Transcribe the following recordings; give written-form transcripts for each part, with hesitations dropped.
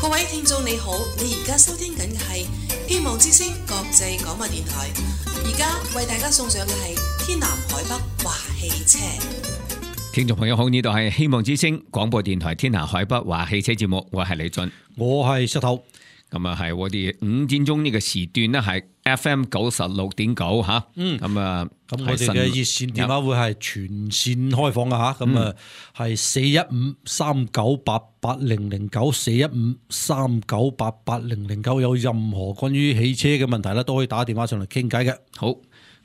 各位聽眾你好，你而家收聽緊嘅係希望之聲國際廣播電台，而家為大家送上嘅係天南海北話汽車。聽眾朋友好，呢度係希望之聲廣播電台天南海北話汽車節目，我係李俊，我係石頭。咁啊係我哋5點鐘呢個時段呢係 FM 96.9吓，咁啊咁我哋嘅熱線電話會係全線開放嘅吓，咁啊係415398009，415398009，有任何關於汽車嘅問題咧，都可以打電話上嚟傾偈嘅。好，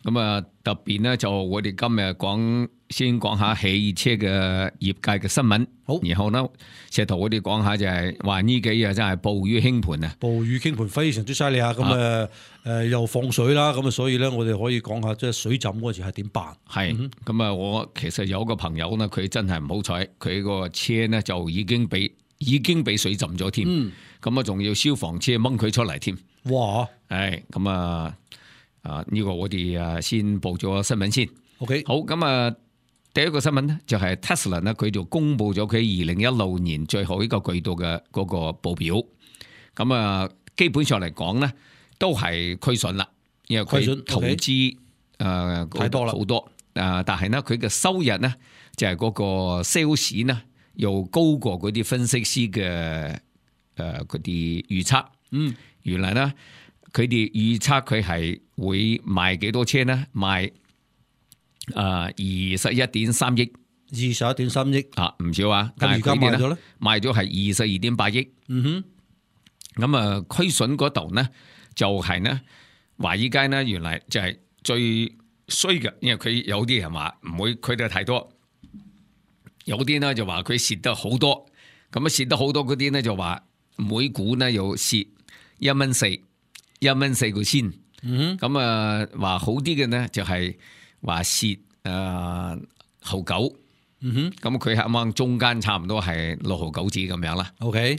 咁啊特別呢就我哋今日先講下汽車嘅業界嘅新聞，好，然後呢石頭我哋講下就係話呢幾日真係暴雨傾盆啊，暴雨傾盆非常之犀利啊！咁又放水啦，咁啊所以咧我哋可以講下即係水浸嗰時係點辦？係咁啊！我其實有個朋友呢，佢真係唔好彩，佢個車呢就已經俾水浸咗添，咁啊仲要消防車掹佢出嚟添。哇！係咁啊！呢個我哋先報咗新聞先。OK， 好，咁啊，第一個新聞呢，就係 Tesla 呢，佢就公布咗佢2016年最後一個季度嘅嗰個報表。咁啊，基本上嚟講呢，都係虧損啦，因為佢投資太多啦，好多。但係呢，佢嘅收入呢，就係嗰個 sales 呢，又高過嗰啲分析師嘅嗰啲預測。原來呢，佢哋預測佢係會賣幾多車呢？賣21.3億，21.3億啊，唔少啊！但係而家賣咗咧，賣咗係22.8億。咁啊，虧損嗰度呢，就係呢華爾街呢，原來就係最衰嘅，因為佢有啲人話唔會虧得太多，有啲呢就話佢蝕得好多。咁啊，蝕得好多嗰啲呢就話每股呢又蝕1.4個仙。咁啊，話好啲嘅呢就係話蝕毫九。咁佢啱啱中間差唔多係6毫9子咁樣啦。OK，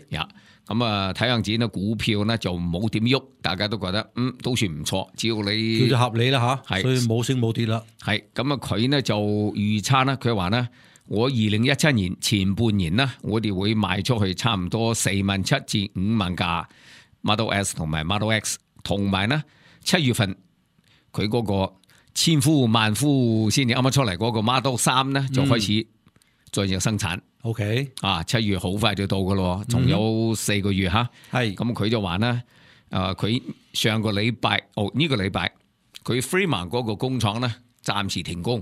咁啊睇樣子呢股票呢就冇點喐，大家都覺得都算唔錯，只要你叫做合理啦吓，所以冇升冇跌啦。係咁啊，佢呢就預測呢，佢話呢，我2017年前半年呢，我哋會賣出去差唔多47,000至5萬架 Model S 同埋 Model X， 同埋呢7月份佢嗰個千呼萬呼先至啱啱出嚟嗰個 Model 3呢，就開始再有生產。OK， 7月好快就到噶咯，仲有4個月吓。係咁佢就話呢，佢上個禮拜呢個禮拜佢 Fremont 嗰個工廠呢暫時停工。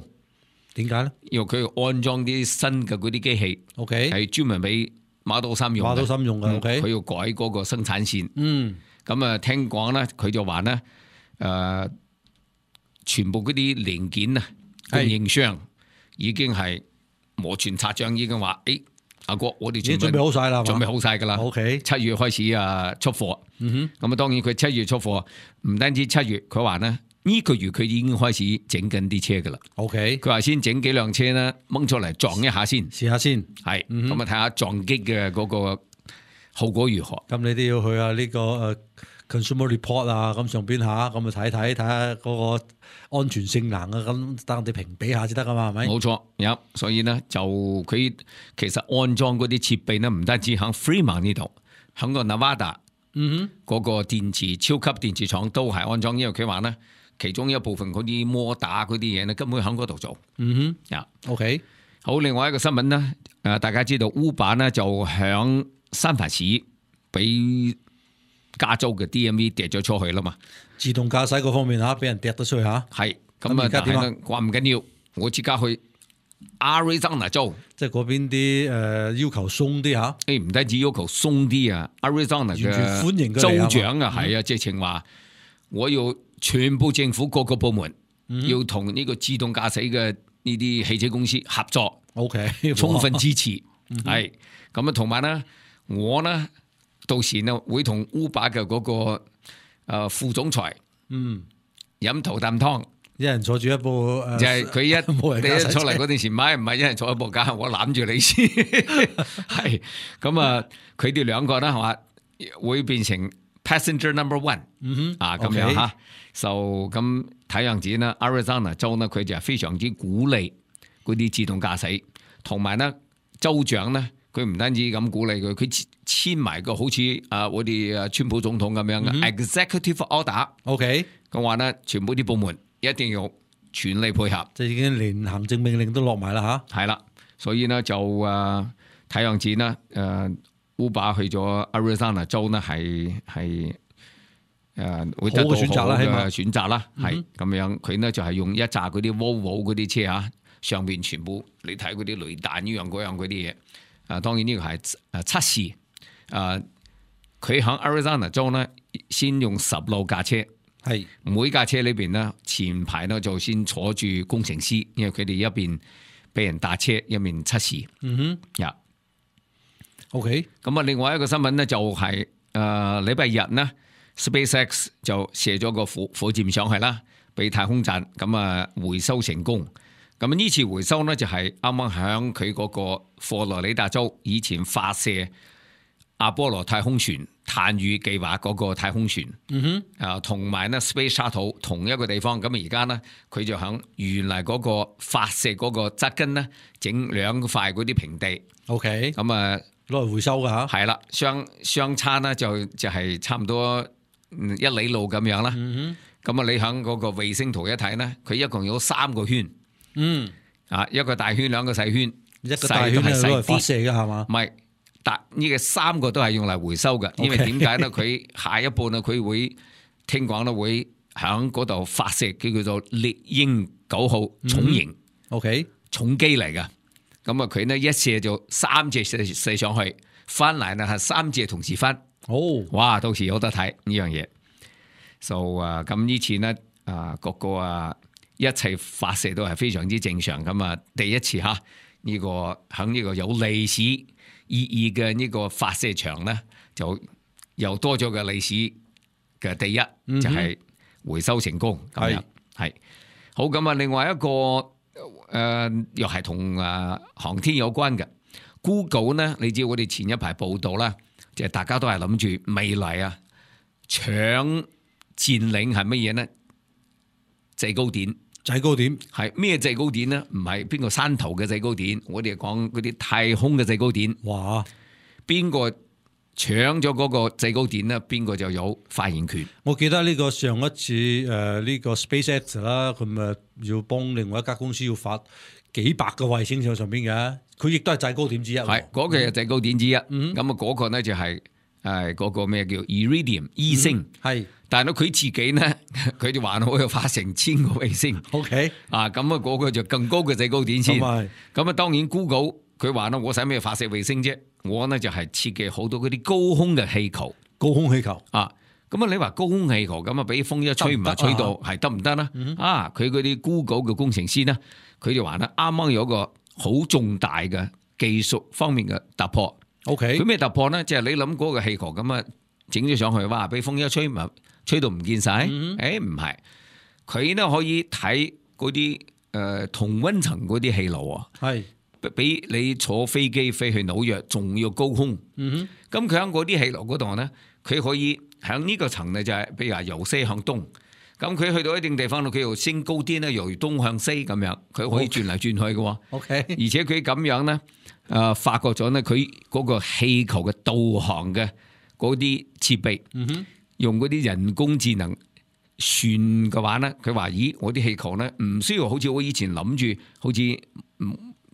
點解呢？因為佢要安裝啲新嘅嗰啲機器。OK， 係專門俾Model 3用。Model 3用嘅。OK， 佢要改嗰個生產線。咁啊，聽講呢，佢就話呢，全部嗰啲零件啊，供應商已經係摩拳擦掌，已經話，阿哥，我哋準備好晒啦，準備好晒噶啦。OK， 7月開始出貨。咁啊，當然佢7月出貨，唔單止7月，佢話呢，呢個月佢已經開始整緊啲車噶啦。OK， 佢話先整幾輛車呢，掹出嚟撞一下先，試下先。係，咁啊睇下撞擊嘅嗰個後果如何。咁你都要去呢個Consumer Report 啊，咁上邊下，咁啊睇下嗰個安全性能啊，咁等我哋評比下先得噶嘛，係咪？冇錯，所以呢，就佢其實安裝嗰啲設備呢，唔單止喺 Fremont 呢度，喺個 Nevada 嗰個超級電池廠都係安裝，因為佢話呢，其中一部分嗰啲摩打嗰啲嘢呢，根本喺嗰度做。OK， 好，另外一個新聞呢，大家知道 Uber 呢就響三藩市俾加州嘅 DMV 跌咗出去啦嘛，自動駕駛嗰方面俾人跌得出去吓。係咁啊，但係咧話唔緊要，我即刻去 Arizona 州，即係嗰邊啲要求鬆啲吓。唔單止要求鬆啲啊 ，Arizona 嘅歡迎州長啊，係啊，直情話我要全部政府各個部門要同呢個自動駕駛嘅呢啲汽車公司合作。OK， 充分支持。係咁啊，同埋咧，我呢。到時呢會同 Uber 嘅嗰個副總裁飲頭啖湯，一人坐住一部就係佢一出嚟嗰陣時，唔係一人坐一部架，我攬住你先，係咁啊！佢哋兩個咧係嘛會變成 passenger number one，咁樣嚇，就咁睇樣子呢 Arizona 州呢佢就係非常之鼓勵嗰啲自動駕駛，同埋呢州長呢。佢唔單止咁鼓勵佢，佢簽埋個好似我哋川普總統咁樣嘅 executive order。OK，佢話咧，全部啲部門一定要全力配合，即係已經連行政命令都落埋啦嚇。係啦，所以呢，就睇樣子呢，Uber 去咗 Arizona 州呢係會得到好選擇啦，起碼嘅選擇啦，係咁樣。佢呢就係用一紮嗰啲 Volvo 嗰啲車嚇，上邊全部你睇嗰啲雷達呢樣嗰樣嗰啲嘢。當然呢個係測試。佢喺 Arizona 州呢，先用16架車。係每架車裏邊呢，前排呢就先坐住工程師，因為佢哋一邊俾人打車，一邊測試。OK。咁啊，另外一個新聞呢，就係禮拜日呢 SpaceX 就射咗個火箭上去啦，俾太空站咁啊回收成功。咁呢次回收呢，就係啱啱響佢嗰個佛羅里達州以前發射阿波羅太空船探月計劃嗰個太空船，同埋呢 Space Shuttle 同一個地方。咁而家呢，佢就響原來嗰個發射嗰個側根呢，整2塊嗰啲平地。OK。咁啊攞嚟回收噶嚇。係啦，相差呢就係差唔多1里路咁樣啦。咁啊，你響嗰個衛星圖一睇呢，佢一共有3個圈。一個大圈，2個細圈，一個大圈係攞嚟發射嘅係嘛？唔係，但呢個3個都係用嚟回收嘅。因為點解咧？佢下一步呢，佢會聽講咧會響嗰度發射，叫做獵鷹9號重型，OK 重機嚟嘅。咁啊，佢呢一射就3隻射上去，翻嚟呢係3隻同時翻。哇！到時有得睇呢樣嘢。咁呢次呢個一切發射都係非常之正常。咁啊，第一次嚇呢個喺呢個有歷史意義嘅呢個發射場咧，就又多咗個歷史嘅第一，就係回收成功咁樣。係好咁啊！另外一個又係同航天有關嘅 Google 呢，你知我哋前一排報道啦，就係大家都係諗住未來搶佔領係乜嘢呢？制高點。制高點係咩制高點呢？唔係邊個山頭嘅制高點，我哋講嗰啲太空嘅制高點。哇！邊個搶咗嗰個制高點呢？邊個就有發言權。我記得呢個上一次呢個 SpaceX 啦，佢咪要幫另外一家公司要發幾百個衛星上邊嘅，佢亦都係制高點之一。係嗰個係制高點之一。咁啊嗰個呢就係嗰個咩叫 Iridium 伊星。係。但係咧，佢自己呢，佢就還好有發成1000個衛星。OK，咁啊，嗰個就更高嘅制高點先。咁啊，當然 Google 佢話咧，我使咩發射衛星啫？我呢就係設計好多嗰啲高空嘅氣球。高空氣球咁啊，你話高空氣球咁啊，俾風一吹唔係吹到係得唔得呢？佢嗰啲 Google 嘅工程師呢，佢就話咧，啱啱有個好重大嘅技術方面嘅突破。OK，佢咩突破呢？即係你諗嗰個氣球咁啊，整咗上去，哇！俾風一吹咪〜吹到唔見晒？唔係，佢呢可以睇嗰啲同溫層嗰啲氣流啊，係比你坐飛機飛去紐約仲要高空。咁佢喺嗰啲氣流嗰度呢，佢可以喺呢個層呢就係，譬如話由西向東。咁佢去到一定地方度，佢又升高啲呢，由東向西咁樣，佢可以轉嚟轉去嘅。OK，而且佢咁樣呢，發覺咗呢，佢嗰個氣球嘅導航嘅嗰啲設備。用嗰啲人工智能算嘅話咧，佢話：咦，我啲氣球咧唔需要好似我以前諗住，好似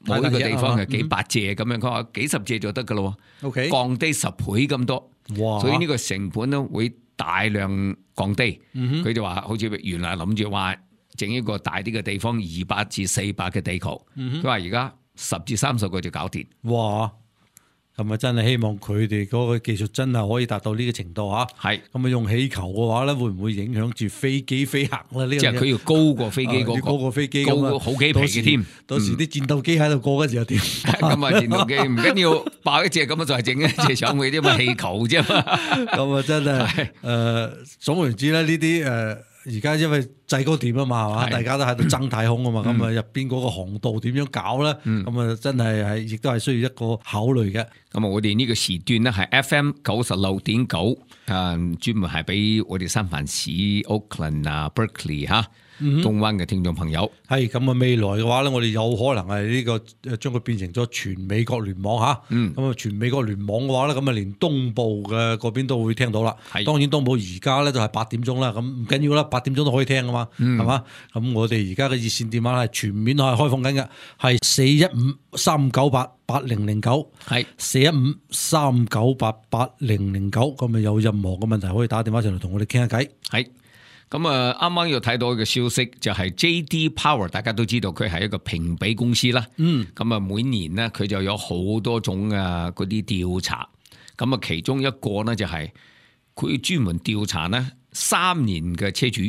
某一個地方係幾百隻咁樣，佢話幾十隻就得噶咯。OK，降低10倍咁多，哇！所以呢個成本咧會大量降低。佢就話好似原來諗住話整一個大啲嘅地方200至400嘅地球，佢話而家10至30個就搞掂。哇！咁啊，真係希望佢哋嗰個技術真係可以達到呢個程度嚇。係咁啊，用氣球嘅話咧，會唔會影響住飛機飛行咧？呢即係佢要高過飛機嗰個，高過飛機，高過好幾皮嘅添。到時啲戰鬥機喺度過嗰時又點？咁啊，戰鬥機唔緊要，爆一隻咁啊，就係整一隻上去啫嘛，氣球啫嘛。咁啊，真係總言之咧，呢啲而家因為制高點啊嘛，係嘛？係大家都喺度爭太空啊嘛，咁啊入邊嗰個航道點樣搞咧？咁啊真係亦都係需要一個考慮嘅。咁我哋呢個時段咧係 FM 96.9，專門係俾我哋三藩市、Oakland 啊、Berkeley 嚇東灣嘅聽眾朋友。係咁啊，未來嘅話咧，我哋有可能係呢個將佢變成咗全美國聯網嚇。咁啊，全美國聯網嘅話咧，咁啊連東部嘅嗰邊都會聽到啦。係當然東部而家咧就係8點鐘啦，咁唔緊要啦，8點鐘都可以聽噶嘛，係嘛？咁我哋而家嘅熱線電話係全面係開放緊嘅，係415-398-8009，係415-398-8009。咁啊有任何嘅問題可以打電話上嚟同我哋傾下偈。係咁啊！啱啱又睇到一個消息，就係 J.D. Power， 大家都知道佢係一個評比公司啦。咁啊，每年呢，佢就有好多種啊嗰啲調查。咁啊，其中一個呢，就係佢專門調查呢3年嘅車主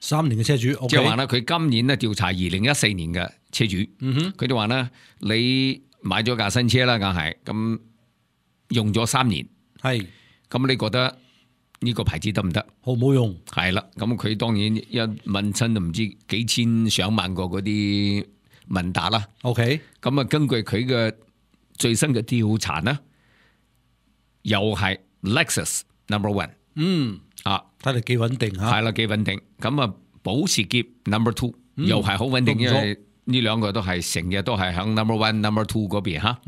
，3年嘅車主，即係話呢，佢今年呢調查2014年嘅車主。佢哋話呢，你買咗架新車啦，梗係咁用咗3年，係咁你覺得呢個牌子得唔得？好唔好用？係啦，咁佢當然一問親就唔知幾千上萬個嗰啲問答啦。OK，咁啊，根據佢嘅最新嘅調查呢，又係 Lexus No.1，睇嚟幾穩定嚇。係啦，幾穩定。咁啊，保時捷No.2又係好穩定，因為呢兩個都係成日都係響 No.1、No.2嗰邊嚇。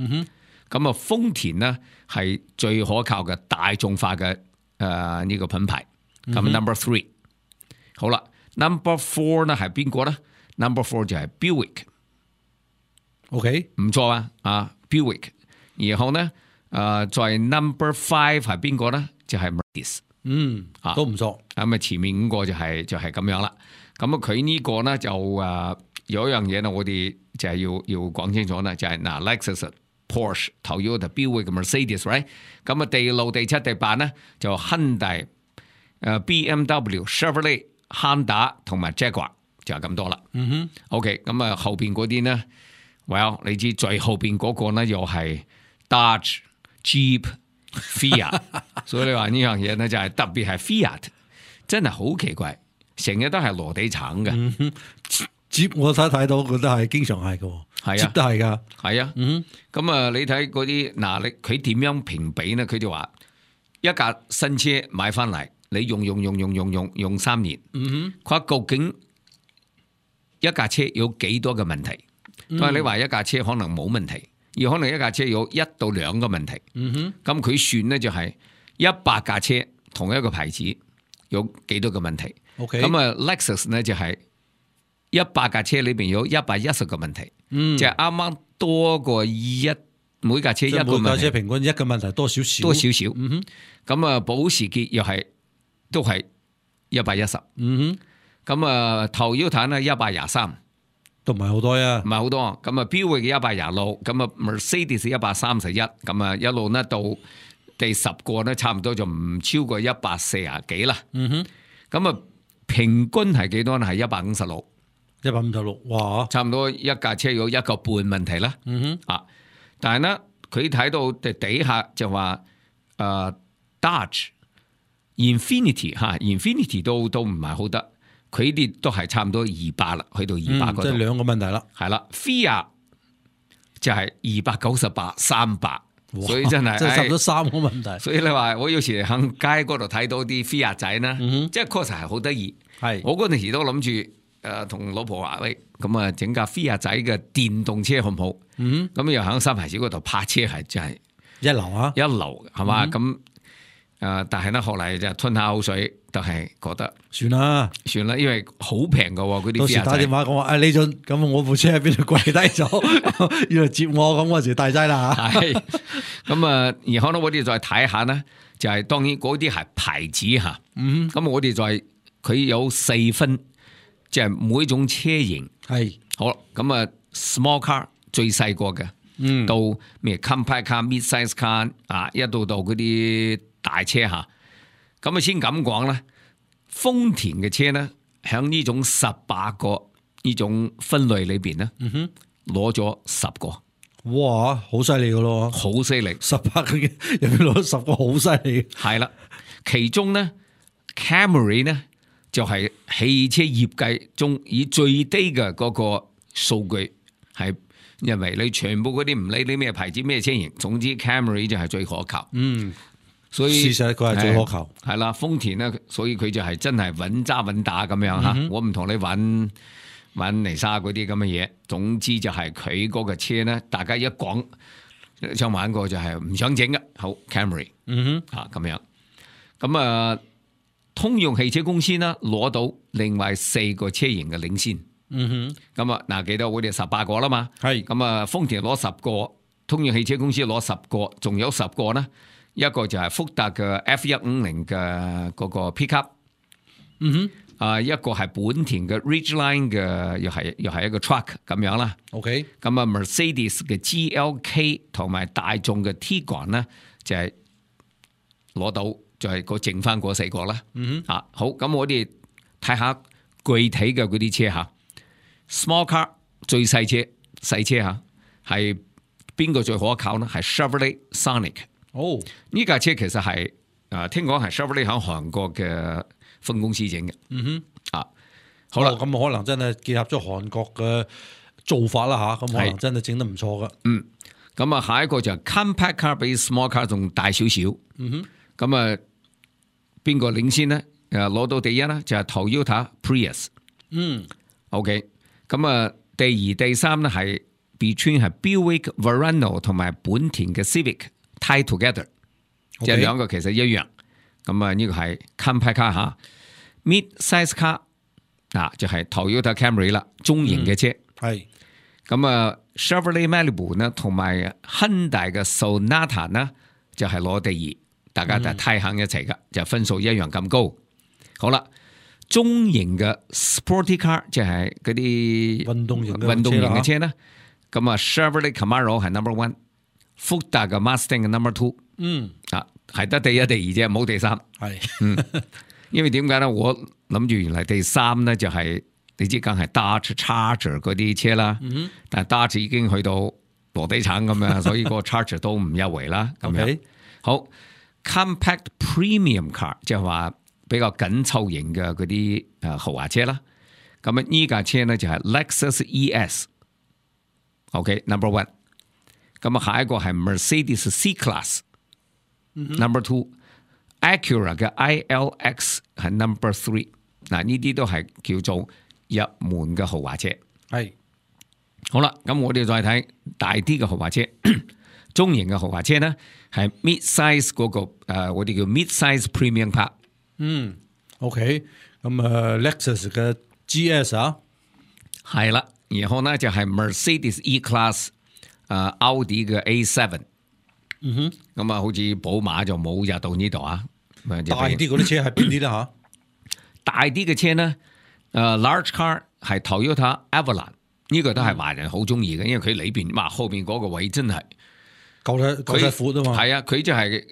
咁啊，豐田呢係最可靠嘅大眾化嘅呢個品牌。咁 No.3 好啦，No.4 呢係邊個呢？ No.4 就係 Buick。OK， 唔錯啊，Buick。然後呢，在 No.5 係邊個呢？就係 Mercedes。都唔錯。咁啊，前面5個就係咁樣啦。咁啊，佢呢個呢就有一樣嘢呢，我哋就係要講清楚呢，就係Lexus、Porsche、Toyota、Buick、Mercedes，right？ 咁啊，第6、第7、第8呢就 Hyundai、BMW、Chevrolet、Honda 同埋 Jaguar 就係咁多啦。OK， 咁啊後邊嗰啲呢 ，well 你知最後邊嗰個呢又係 Dodge、Jeep、Fiat， 所以你話呢樣嘢呢就係特別係 Fiat， 真係好奇怪，成日都係羅地橙嘅。Jeep 我睇到佢都係經常係嘅，係啊， Jeep 都係㗎，係啊。咁啊，你睇嗰啲嗱，佢點樣評比呢？佢就話一架新車買翻嚟，你用3年，佢話究竟一架車有幾多嘅問題？但係你話一架車可能冇問題，而可能一架車有1到2個問題。咁佢算呢就係100架車同一個牌子有幾多個問題。咁啊 Lexus 呢就係100架車裏邊有110個問題，即係啱啱多過每架車一個問題，每架車平均一個問題多少少。咁啊，保時捷又係都係110。咁啊，Toyota呢123，都唔係好多啊，唔係好多。咁啊，Buick 126，咁啊 Mercedes 131，咁啊一路呢到第10個呢，差唔多就唔超過140幾啦。咁啊，平均係幾多呢？係156。156，哇！差唔多一架車有1個半問題啦。但係呢，佢睇到底下就話Dodge、Infinity 都唔係好得，佢哋都係差唔多200啦，去到200嗰度。即係2個問題啦。係啦 ，Fiat 就係298、300，所以真係即係差唔多3個問題。所以你話我有時喺街嗰度睇到啲 Fiat 仔呢，即係確實係好得意。我嗰陣時都諗住。同老婆話喂，咁啊整架 Fiat 仔嘅電動車好唔好？咁又喺三藩市嗰度泊車係真係一流啊，一流係嘛？咁但係呢，後嚟就吞下口水，就係覺得算啦，因為好平噶喎嗰啲 Fiat 仔。到時打電話講話，李俊，咁我部車喺邊度跪低咗，要嚟接我，咁嗰時大劑啦嚇。係咁啊，然後呢，我哋再睇下呢，就係當然嗰啲係牌子嚇。咁我哋再佢有4分。即係每種車型係好咁啊 ，small car 最細個嘅，到咩 compact car、mid-size car 一到嗰啲大車嚇，咁啊先咁講啦。豐田嘅車咧，喺呢種18個呢種分類裏邊咧，攞咗10個。哇，好犀利噶咯，好犀利！18個入邊攞10個，好犀利。係啦，其中咧 Camry 咧就係汽車業界中以最低嘅嗰個數據，係因為你全部嗰啲唔理你咩牌子咩車型，總之 Camry 就係最可靠。所以事實佢係最可靠。係啦，豐田咧，所以佢就係真係穩揸穩打咁樣嚇。我唔同你玩泥沙嗰啲咁嘅嘢。總之就係佢嗰個車咧，大家一講想玩過就係唔想整嘅。好 Camry，咁樣。咁啊，通用汽車公司呢攞到另外4個車型嘅領先。咁啊，嗱幾多？我哋18個啦嘛。係。咁啊，豐田攞10個，通用汽車公司攞10個，仲有10個呢。一個就係福特嘅 F150嘅嗰個 pickup，一個係本田嘅 Ridgeline 嘅，又係一個 truck 咁樣啦。OK，咁啊 Mercedes 嘅 GLK 同埋大眾嘅 Tiguan 咧，就係攞到就係個剩翻嗰4個啦。好，咁我哋睇下具體嘅嗰啲車嚇 ，small car 最細車嚇，係邊個最可靠呢？係 Chevrolet Sonic。呢架車其實係聽講係 Chevrolet 喺韓國嘅分公司整嘅。好啦，咁可能真係結合咗韓國嘅做法啦嚇，咁可能真係整得唔錯噶。咁啊，下一個就係 compact car 比 small car 仲大少少。咁啊，邊個領先呢？攞到第一呢，就係 Toyota Prius。OK， 咁啊，第2、第3呢係 between 係 Buick Verano 同埋本田嘅 Civic。tie together， 即係兩個其實一樣。咁啊，呢個係 compact car 嚇 ，mid size car 就係 Toyota Camry 啦，中型嘅車。係。咁啊 ，Chevrolet Malibu 呢，同埋 Hyundai 嘅 Sonata 呢，就係攞第2，大家就睇行一齊噶，就分數一樣咁高。好啦，中型嘅 sporty car 即係嗰啲運動型嘅車呢，咁啊 Chevrolet Camaro 係 number 1。福特嘅 Mustang 嘅 number 2，係得第1、第2啫，冇第3。係，因為點解咧？我諗住原來第3咧就係你知，梗係 Dodge Charger 嗰啲車啦。但係 Dodge 已經去到羅地產咁樣，所以個 Charger 都唔優惠啦。咁樣好 compact premium car 即係話比較緊湊型嘅嗰啲豪華車啦。咁啊，呢架車咧就係 Lexus ES。OK number 1。咁啊，下一個係 Mercedes C-Class，number 2，Acura 嘅 ILX 係 number 3。嗱，呢啲都係叫做入門嘅豪華車。係，好啦，咁我哋再睇大啲嘅豪華車，中型嘅豪華車咧係 mid size 嗰個我哋叫 mid size premium car。OK， 咁Lexus 嘅 GS 啊，係啦，然後咧就係 Mercedes E-Class。奧迪嘅 A7，咁啊，好似寶馬就冇入到呢度啊。大啲嗰啲車係邊啲咧嚇？大啲嘅車咧，large car 係 Toyota Avalon，呢個都係華人好中意嘅，因為佢裏邊哇後邊嗰個位真係夠得闊啊嘛。係啊，佢就係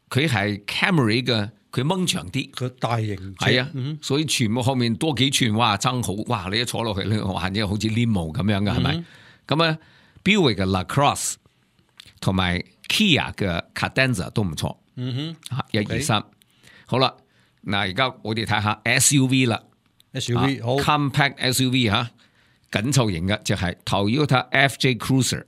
佢係 Camry 嘅，佢掹長啲，佢大型係啊，所以全部後面多幾寸，哇爭好，哇你一坐落去咧，哇即係好似 limo 咁樣嘅係咪？咁啊。Buick 嘅 LaCrosse 同埋 Kia 嘅 Cadenza 都唔錯，1、2、3，好啦，嗱而家我哋睇下 SUV 啦，SUV 好 compact SUV 嚇，緊湊型嘅就係 Toyota FJ Cruiser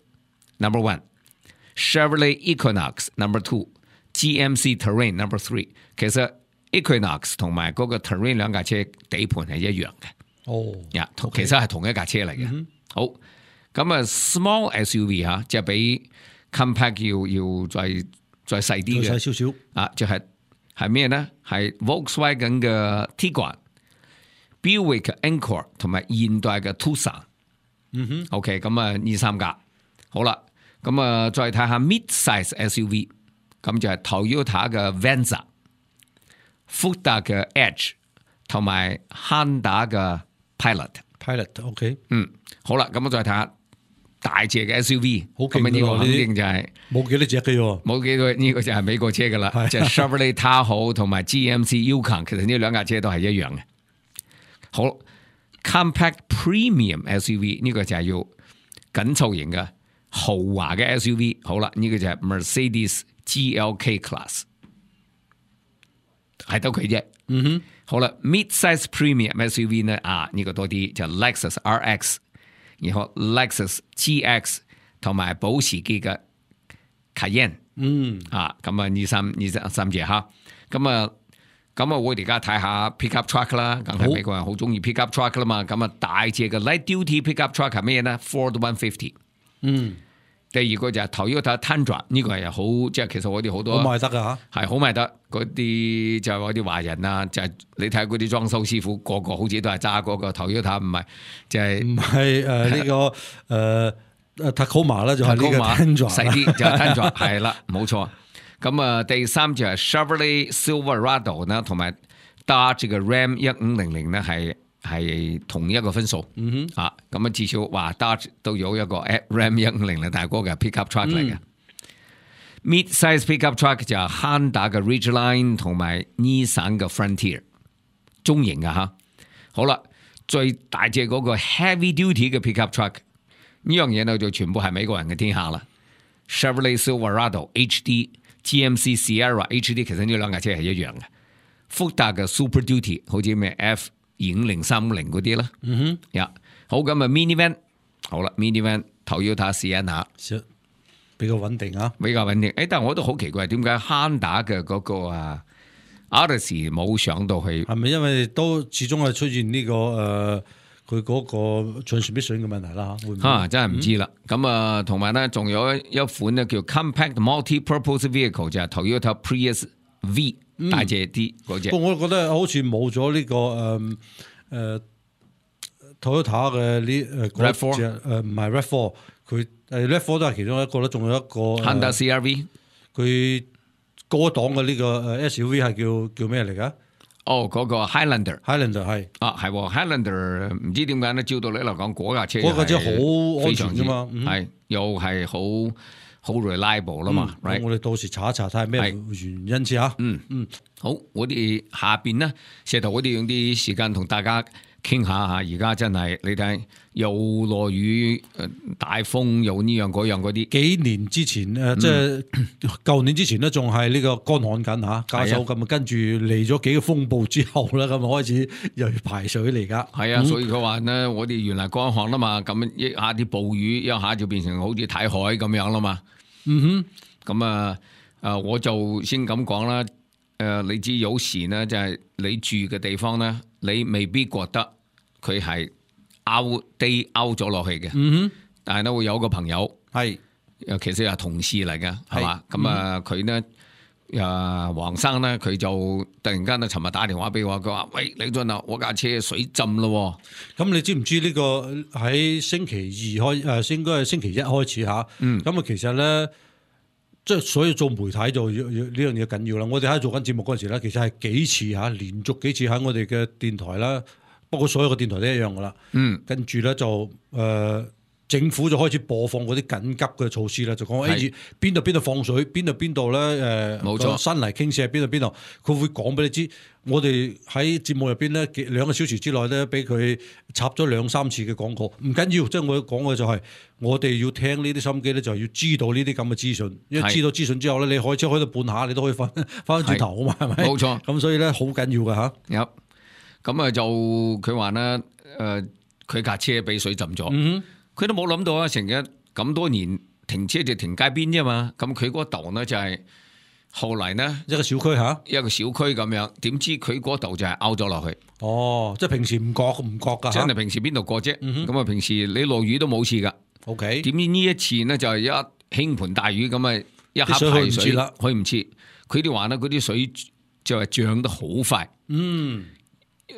number 1，Chevrolet Equinox number 2，GMC Terrain number 3。其實 Equinox 同埋嗰個 Terrain 兩架車底盤係一樣嘅，其實係同一架車嚟嘅，好。咁啊 ，small SUV 嚇，即係比 compact 要再細啲嘅，細少少啊，就係咩咧？係 Volkswagen 嘅 Tiguan、Buick 嘅 Encore 同埋現代嘅 Tucson。OK， 咁啊呢3架，好啦，咁啊再睇下 mid-size SUV， 咁就係 Toyota 嘅 Venza、福特嘅 Edge 同埋 Honda 嘅 Pilot。OK， 好啦，咁我再睇下。大隻嘅 SUV， 好勁嘅呢個肯定就係冇幾多隻嘅喎，冇幾多呢個就係美國車噶啦，即係 Chevrolet Tahoe 同埋 GMC Yukon， 其實呢兩架車都係一樣嘅。好 ，compact premium SUV 呢個就係要緊湊型嘅豪華嘅 SUV。好啦，呢個就係 Mercedes GLK Class， 係得佢啫。好啦 ，mid-size premium SUV 呢呢個多啲就 Lexus RX， 然後 Lexus GX 同埋保時捷嘅 Cayenne， 咁啊二三隻嚇，咁啊我哋而家睇下 pickup truck 啦，梗係美國人好中意 pickup truck 啦嘛，咁啊大隻嘅 light duty pickup truck 係咩呢 ？Ford 150。第二個就係 Toyota Tundra， 呢個係好，即係其實我哋好多好賣得㗎嚇，係好賣得嗰啲就係嗰啲華人啊，就係你睇嗰啲裝修師傅個個好似都係揸嗰個 Toyota， 唔係就係唔係呢個Tacoma 啦，就係呢個 Tundra 細啲就係 Tundra 係啦，冇錯。咁啊，第三就係 Chevrolet Silverado 啦，同埋 Dodge 嘅 Ram 1500呢係同一個分數，咁啊至少話 Dodge 都有一個 Ram 1500，但係嗰個係 pickup truck 嚟嘅。Mid-size pickup truck 就係 Honda 嘅 Ridgeline 同埋 Nissan 嘅 Frontier， 中型嘅嚇。好啦，最大隻嗰個 heavy duty 嘅 pickup truck 呢樣嘢呢就全部係美國人嘅天下啦。Chevrolet Silverado HD、GMC Sierra HD， 其實呢兩架車係一樣嘅。福特嘅 Super Duty 好似咩 F250、350嗰啲啦，好咁啊 minivan， 好啦 minivan Toyota Sienna 比較穩定啊，比較穩定。但係我都好奇怪，點解 Honda 嘅嗰個Odyssey 冇上到去？係咪因為都始終係出現呢個佢嗰個 transmission 嘅問題啦？會唔會真係唔知啦。咁啊，同埋咧，仲有一款咧叫 Compact Multi-Purpose Vehicle， 就係 Toyota Prius V。大隻啲嗰隻，我覺得好似冇咗呢個Toyota 嘅呢RAV4，唔係 RAV4， 佢RAV4 都係其中一個啦，仲有一個 Honda CR-V， 佢高檔嘅呢個 SUV 係叫咩嚟㗎？嗰個 Highlander 係Highlander 唔知點解咧？照道理嚟講，嗰架車好安全㗎嘛，係又係好 reliable 啦嘛，我哋到時查一查睇係咩原因先嚇。好，我哋下邊呢，石頭我哋用啲時間同大家傾下嚇。而家真係你睇又落雨，大風又呢樣嗰樣嗰啲。幾年之前即係舊年之前呢，仲係呢個乾旱緊嚇，加手咁啊，跟住嚟咗幾個風暴之後咧，咁啊開始又要排水嚟㗎。係啊，所以佢話呢，我哋原來乾旱啦嘛，咁一下啲暴雨，一下就變成好似睇海咁樣啦嘛。咁我就先咁講啦。你知有時呢，就係你住嘅地方呢，你未必覺得佢係out咗落去嘅。但係呢，會有個朋友係，其實係同事嚟嘅，係嘛？咁佢呢，黃生呢，佢就突然間呢，尋日打電話俾我，佢話：喂，李俊啊，我架車水浸咯。咁你知唔知呢個喺星期二應該係星期一開始嚇？咁其實咧，即係所以做媒體就呢樣嘢緊要啦。我哋喺做緊節目嗰陣時咧，其實係幾次嚇，連續幾次喺我哋嘅電台啦，不過所有嘅電台都一樣噶啦。跟住咧就政府就開始播放嗰啲緊急嘅措施啦，就講邊度放水，邊度咧冇錯，山泥傾瀉喺邊度，佢會講俾你知。我哋喺節目入邊咧2個小時之內咧，俾佢插咗2-3次嘅廣告，唔緊要。即係我講嘅就係，我哋要聽呢啲心機咧，就係要知道呢啲咁嘅資訊。因為知道資訊之後咧，你開車開到半下，你都可以翻轉頭啊嘛，係咪？冇錯。咁所以咧好緊要㗎嚇。有咁啊，就佢話咧，佢架車俾水浸咗。佢都冇諗到啊！成日咁多年停車就停街邊啫嘛，咁佢嗰度呢，就係後嚟呢，一個小區嚇，一個小區咁樣，點知佢嗰度就係凹咗落去。即係平時唔覺㗎，真係平時邊度過啫？咁平時你落雨都冇事㗎。OK，點知呢一次呢，就係一傾盆大雨咁啊，一下排水啦，去唔切。佢哋話呢，嗰啲水就係漲得好快。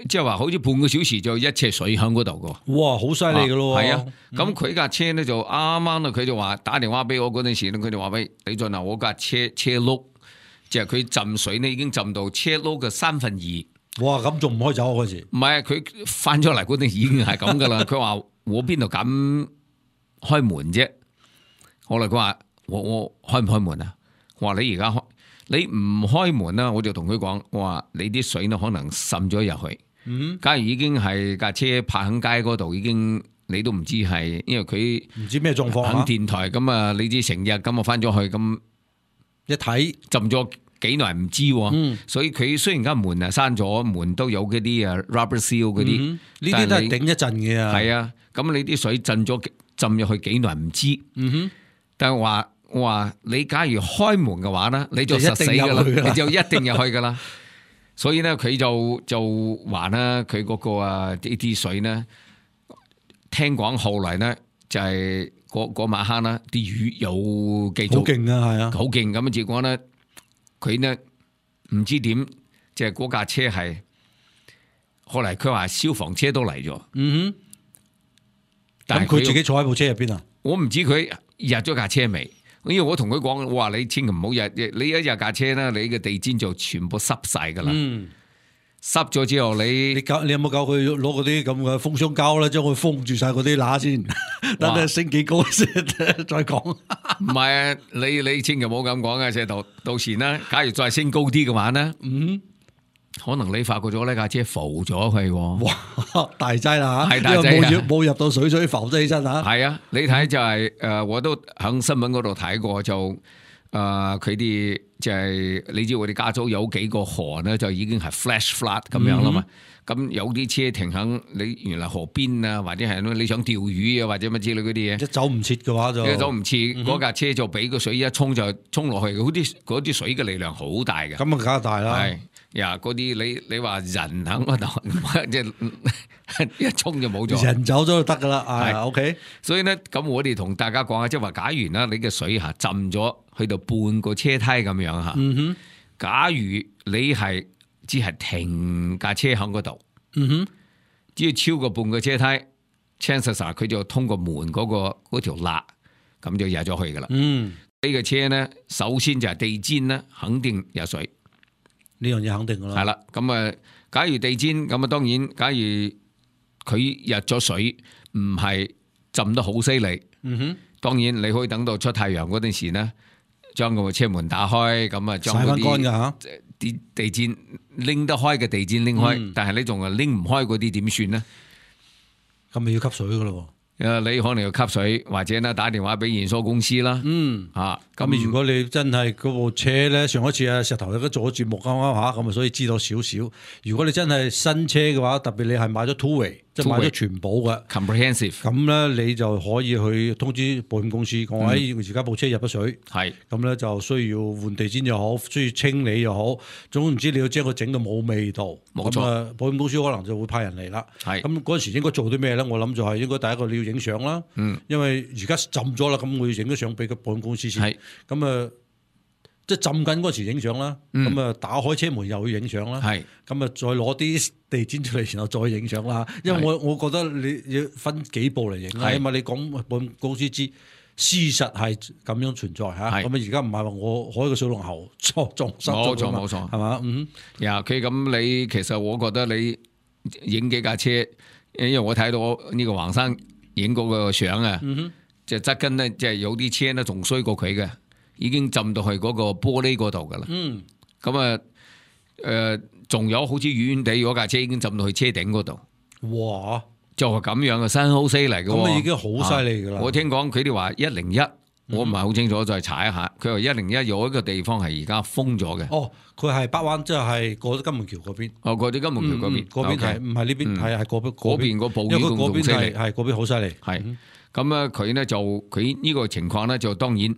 即係話好似半個小時就一尺水喺嗰度噶，哇，好犀利噶咯！係啊，咁佢架車咧就啱啱啊，佢就話打電話俾我嗰陣時咧，佢就話喂，李俊啊，我架車轆，即係佢浸水呢已經浸到車轆嘅2/3。哇，咁仲唔開走嗰時？唔係，佢翻咗嚟嗰陣已經係咁噶啦。佢話我邊度敢開門啫？後來佢話我開唔開門啊？我話你而家開。你唔開門啦，我就同佢講，我話你啲水呢可能滲咗入去。假如已經係架車泊喺街嗰度，已經你都唔知係，因為佢唔知咩狀況。喺電台咁啊，你知成日咁啊翻咗去咁一睇浸咗幾耐唔知喎。所以佢雖然間門啊閂咗，門都有嗰啲rubber seal 嗰啲，呢啲都係頂一陣嘅啊。係啊，咁你啲水浸入去幾耐唔知。但係我話你假如開門嘅話咧，你就實死噶啦，你就一定入去噶啦。所以咧，佢就話啦，佢嗰個呢啲水咧，聽講後來咧就係嗰晚黑啦，啲魚有繼續好勁啊，係啊，好勁咁。結果咧，佢咧唔知點，即係嗰架車係後嚟佢話消防車都嚟咗。但係佢自己坐喺部車入邊啊？我唔知佢入咗架車未。因為我同佢講，我話你千祈唔好入，你一入架車咧，你嘅地氈就全部濕晒噶啦。濕咗之後，你有冇教佢攞嗰啲咁嘅封箱膠咧，將佢封住晒嗰啲罅先，等佢升幾高先再講。唔係啊，你千祈唔好咁講啊，即係到時咧，假如再升高啲嘅話咧，可能你發覺咗呢架車浮咗佢。哇，大劑啦嚇！係大劑，冇入到水浮咗起身嚇。係啊，你睇就係我都喺新聞嗰度睇過，就佢哋就係你知我哋加州有幾個河咧，就已經係 flash flood 咁樣啦嘛。咁有啲車停喺你原來河邊啊，或者係你想釣魚啊，或者乜之類嗰啲嘢，一走唔切嘅話就走唔切，嗰架車就俾個水一沖就沖落去，嗰啲水嘅力量好大嘅。咁啊，梗係大啦。係呀，嗰啲你話人喺嗰度，即係一沖就冇咗，人走咗就得噶啦。係 OK。所以咧，咁我哋同大家講下，即係話，假如啦，你嘅水下浸咗去到半個車梯咁樣嚇。假如你係只係停架車喺嗰度，只要超過半個車梯 chances 佢就通過門嗰條罅，咁就入咗去噶啦。呢個車咧，首先就係地氈咧，肯定有水。呢樣嘢肯定噶啦。係啦，咁啊，假如地氈咁啊，當然，假如佢入咗水，唔係浸得好犀利，當然你可以等到出太陽嗰陣時咧，將個車門打開，咁啊，將嗰啲地氈拎得開嘅地氈拎開，但係你仲係拎唔開嗰啲點算咧？咁咪要吸水噶咯？你可能要吸水，或者咧打電話俾驗收公司啦。咁如果你真係嗰部車咧，上一次啊石頭有都做咗節目啱啱嚇，咁啊所以知道少少。如果你真係新車嘅話，特別你係買咗 two-way， 即係買咗全保嘅 comprehensive， 咁咧你就可以去通知保險公司講，而家部車入咗水，咁咧就需要換地氈又好，需要清理又好，總唔知你要將佢整到冇味道。冇錯，保險公司可能就會派人嚟啦。咁嗰陣時應該做啲咩咧？我諗就係應該第一個你要影相啦，因為而家浸咗啦，咁我要影咗相俾個保險公司先。咁啊，即係浸緊嗰時影相啦，咁啊打開車門又要影相啦，咁啊再攞啲地氈出嚟，然後再影相啦。因為我覺得你要分幾步嚟影啦，因為你講保險公司知事實係咁樣存在嚇。咁啊而家唔係話我開個水龍喉撞失咗，冇錯，係嘛？佢咁你其實我覺得你影幾架車，因為我睇到呢個黃生影嗰個相啊，即係側跟咧，即係有啲車咧仲衰過佢嘅。已經浸到去嗰個玻璃嗰度噶啦，咁啊，仲有好似遠遠地嗰架車已經浸到去車頂嗰度，哇！就係咁樣嘅新好犀利嘅，咁已經好犀利噶啦。我聽講佢哋話101，我唔係好清楚，再查一下。佢話101有一個地方係而家封咗嘅。哦，佢係北灣，即係過咗金門橋嗰邊。過咗金門橋嗰邊，嗰邊係唔係呢邊？係嗰邊個暴雨嗰邊係嗰邊好犀利。係咁啊，佢呢就佢呢個情況呢，就當然。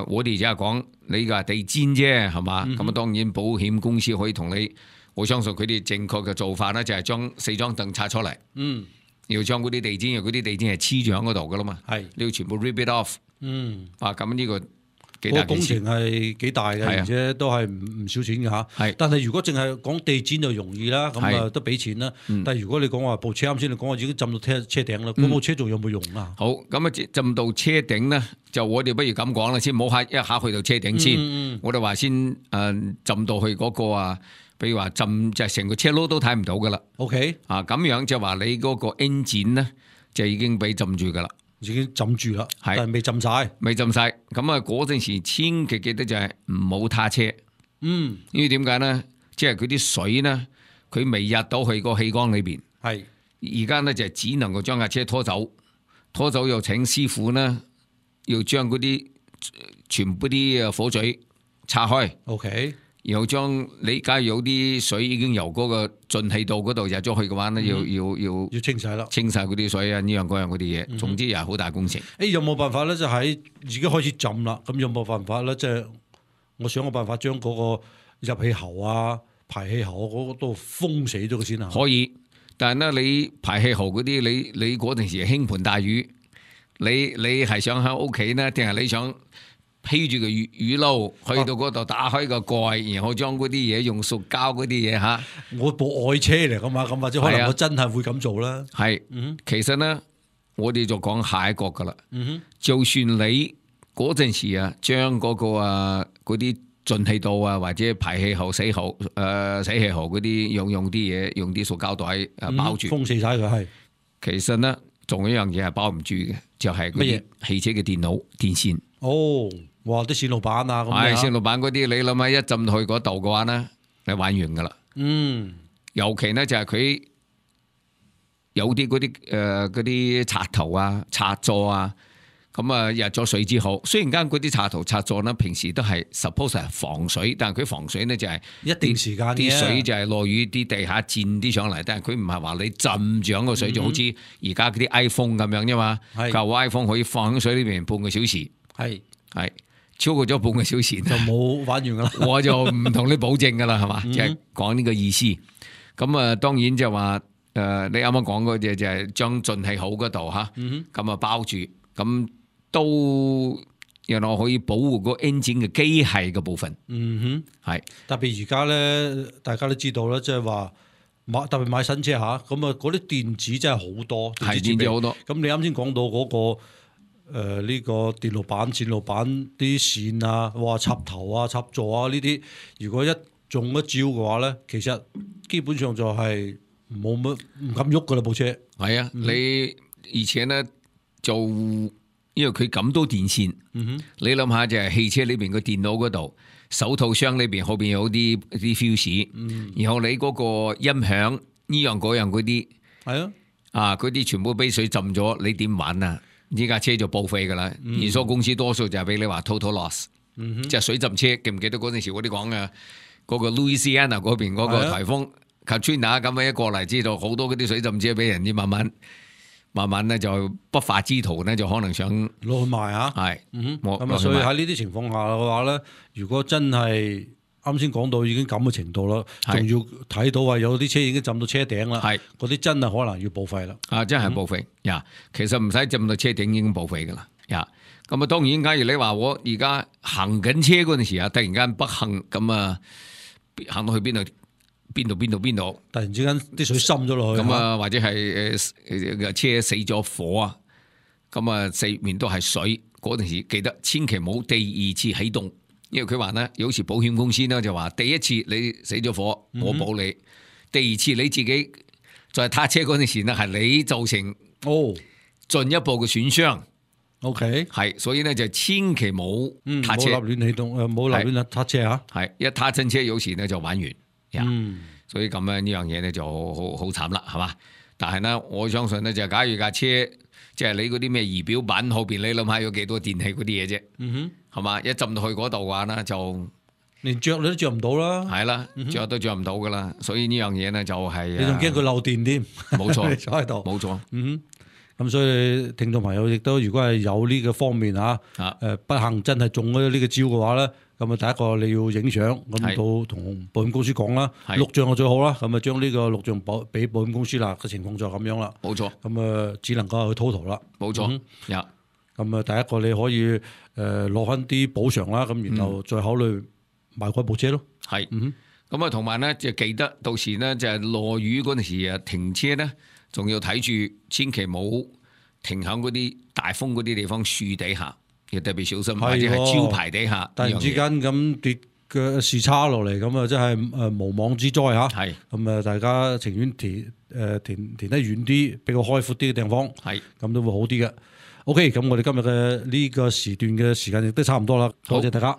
我哋只係講你個地氈啫，係嘛？咁啊，當然保險公司可以同你，我相信佢哋正確嘅做法咧，就係將4張凳拆出嚟，要將嗰啲地氈，因為嗰啲地氈係黐住喺嗰度噶啦嘛，你要全部 rip it off，咁呢個幾大工程係幾大嘅，而且都係唔少錢嘅嚇。但係如果淨係講地氈就容易啦，咁啊都俾錢啦。但係如果你講話部車啱先你講話已經浸到車頂啦，嗰部車仲有冇用啊？好，咁啊浸到車頂咧，就我哋不如咁講啦，先唔好一下去到車頂先。我哋話先浸到去嗰個啊，比如話浸就係成個車轆都睇唔到噶啦。OK，咁樣就話你嗰個 engine 咧就已經俾浸住噶啦。已經浸住啦，但係未浸晒。咁啊，嗰陣時千祈記得就係唔好撻車。因為點解咧？即係佢啲水咧，佢未入到去個氣缸裏邊。而家咧就只能夠將架車拖走又請師傅咧，要將嗰啲全部啲火嘴拆開， OK，然後將你假如有啲水已經由嗰個進氣道嗰度入咗去嘅話咧，要清洗啦。清晒嗰啲水啊，呢樣嗰樣嗰啲嘢，總之又係好大工程。有冇辦法咧？就喺已經開始浸啦，咁有冇辦法咧？即係我想個辦法將嗰個入氣喉啊、排氣喉嗰個都封死咗佢先啊。可以，但係咧你排氣喉嗰啲，你嗰陣時輕盤大雨，你係想喺屋企呢，定係你想披住個雨褸去到嗰度打開個蓋，然後將嗰啲嘢用塑膠嗰啲嘢嚇。我部愛車嚟噶嘛，咁或者可能我真係會咁做啦。係，其實呢，我哋就講下一個噶啦。就算你嗰陣時啊，將嗰個嗰啲進氣道啊，或者排氣喉、洗氣喉嗰啲用啲嘢，用啲塑膠袋包住，封死晒佢係。其實呢，仲有一樣嘢係包唔住嘅，就係嗰啲汽車嘅電腦電線。哦，哇！啲線路板啊，咁係線路板嗰啲，你諗下一浸去嗰度嘅話呢，你玩完噶啦。尤其呢，就係佢有啲嗰啲插頭啊、插座啊，咁啊入咗水之後，雖然間嗰啲插頭插座呢，平時都係 suppose 係防水，但係佢防水呢，就係一定時間啲水就係落雨啲地下濺啲上嚟，但係佢唔係話你浸住個水，就好似而家嗰啲 iPhone 咁樣啫嘛。舊 iPhone 可以放喺水裏邊半個小時。係超過咗半個小時就冇玩完噶啦，我就唔同你保證噶啦，係嘛，即係講呢個意思。咁啊，當然就話你啱啱講嗰隻就係將進氣口嗰度吓，咁啊包住，咁都原來可以保護個 engine 嘅機械嘅部分。係特別而家咧，大家都知道啦，即係話特別買新車吓，咁啊嗰啲電子真係好多，係電子好多。咁你啱先講到嗰個。呢個電路板、線路板啲線啊，哇插頭啊、插座啊呢啲，如果一中一招嘅話咧，其實基本上就係冇乜唔敢喐噶啦部車。係啊，你而且咧就因為佢咁多電線，你諗下就係汽車裏邊個電腦嗰度，手套箱裏邊後邊有啲fuse，然後你嗰個音響呢樣嗰樣嗰啲，係嗰啲全部俾水浸咗，你點玩啊？呢架車就報廢噶啦，連鎖公司多數就係俾你話 total loss，即係水浸車。記唔記得嗰陣時我哋講嘅嗰個 Louisiana 嗰邊嗰個颱風 Katrina 咁樣一過嚟，知道好多嗰啲水浸車俾人哋慢慢咧就不法之徒咧就可能想攞去賣啊。係，咁所以喺呢啲情況下嘅話咧，如果真係啱先講到已經咁嘅程度啦，仲要睇到話有啲車已經浸到車頂啦，嗰啲真係可能要報廢啦。真係報廢呀！其實唔使浸到車頂已經報廢噶啦呀。咁啊，當然假如你話我而家行緊車嗰陣時啊，突然間不幸咁啊，行到去邊度，突然之間啲水滲咗落去，咁啊，或者係車死咗火啊，咁啊四面都係水嗰陣時，記得千祈冇第二次啟動。因為佢話咧，有時保險公司咧就話，第一次你死咗火，我保你；第二次你自己在撻車嗰陣時咧，係你造成進一步嘅損傷。OK，係，所以咧就千祈冇撻車，冇立亂起動，冇立亂撻車嚇。係一撻親車，有時咧就玩完。所以咁樣呢樣嘢咧就好慘啦，係嘛？但係呢，我相信咧就假如架車即係你嗰啲咩儀表板後邊，你諗下有幾多電器嗰啲嘢啫？係嘛？一浸到去嗰度嘅話咧，就連着你都着唔到啦。係啦，着都着唔到噶啦。所以呢樣嘢咧就係你仲驚佢漏電添？冇錯，坐喺度，冇錯。咁所以聽眾朋友亦都如果係有呢個方面不幸真係中咗呢個招嘅話咧，咁啊第一個你要影相，咁到同保險公司講啦，錄像就最好啦。咁啊將呢個錄像俾保險公司啦，個情況就咁樣啦。冇錯。咁啊只能夠去 total 啦。冇錯。咁啊第一個你可以攞翻啲補償啦，咁然後再考慮買嗰部車咯。係。咁啊同埋咧就記得到時咧就係落雨嗰陣時啊停車咧，仲要睇住，千祈冇停喺嗰啲大風嗰啲地方樹底下，要特別小心，或者係招牌底下。突然之間咁跌嘅視差落嚟，咁啊真係無妄之災嚇。係咁啊，大家情願填得遠啲，比較開闊啲嘅地方。係咁都會好啲嘅。OK，咁我哋今日嘅呢個時段嘅時間亦都差唔多啦，多謝大家。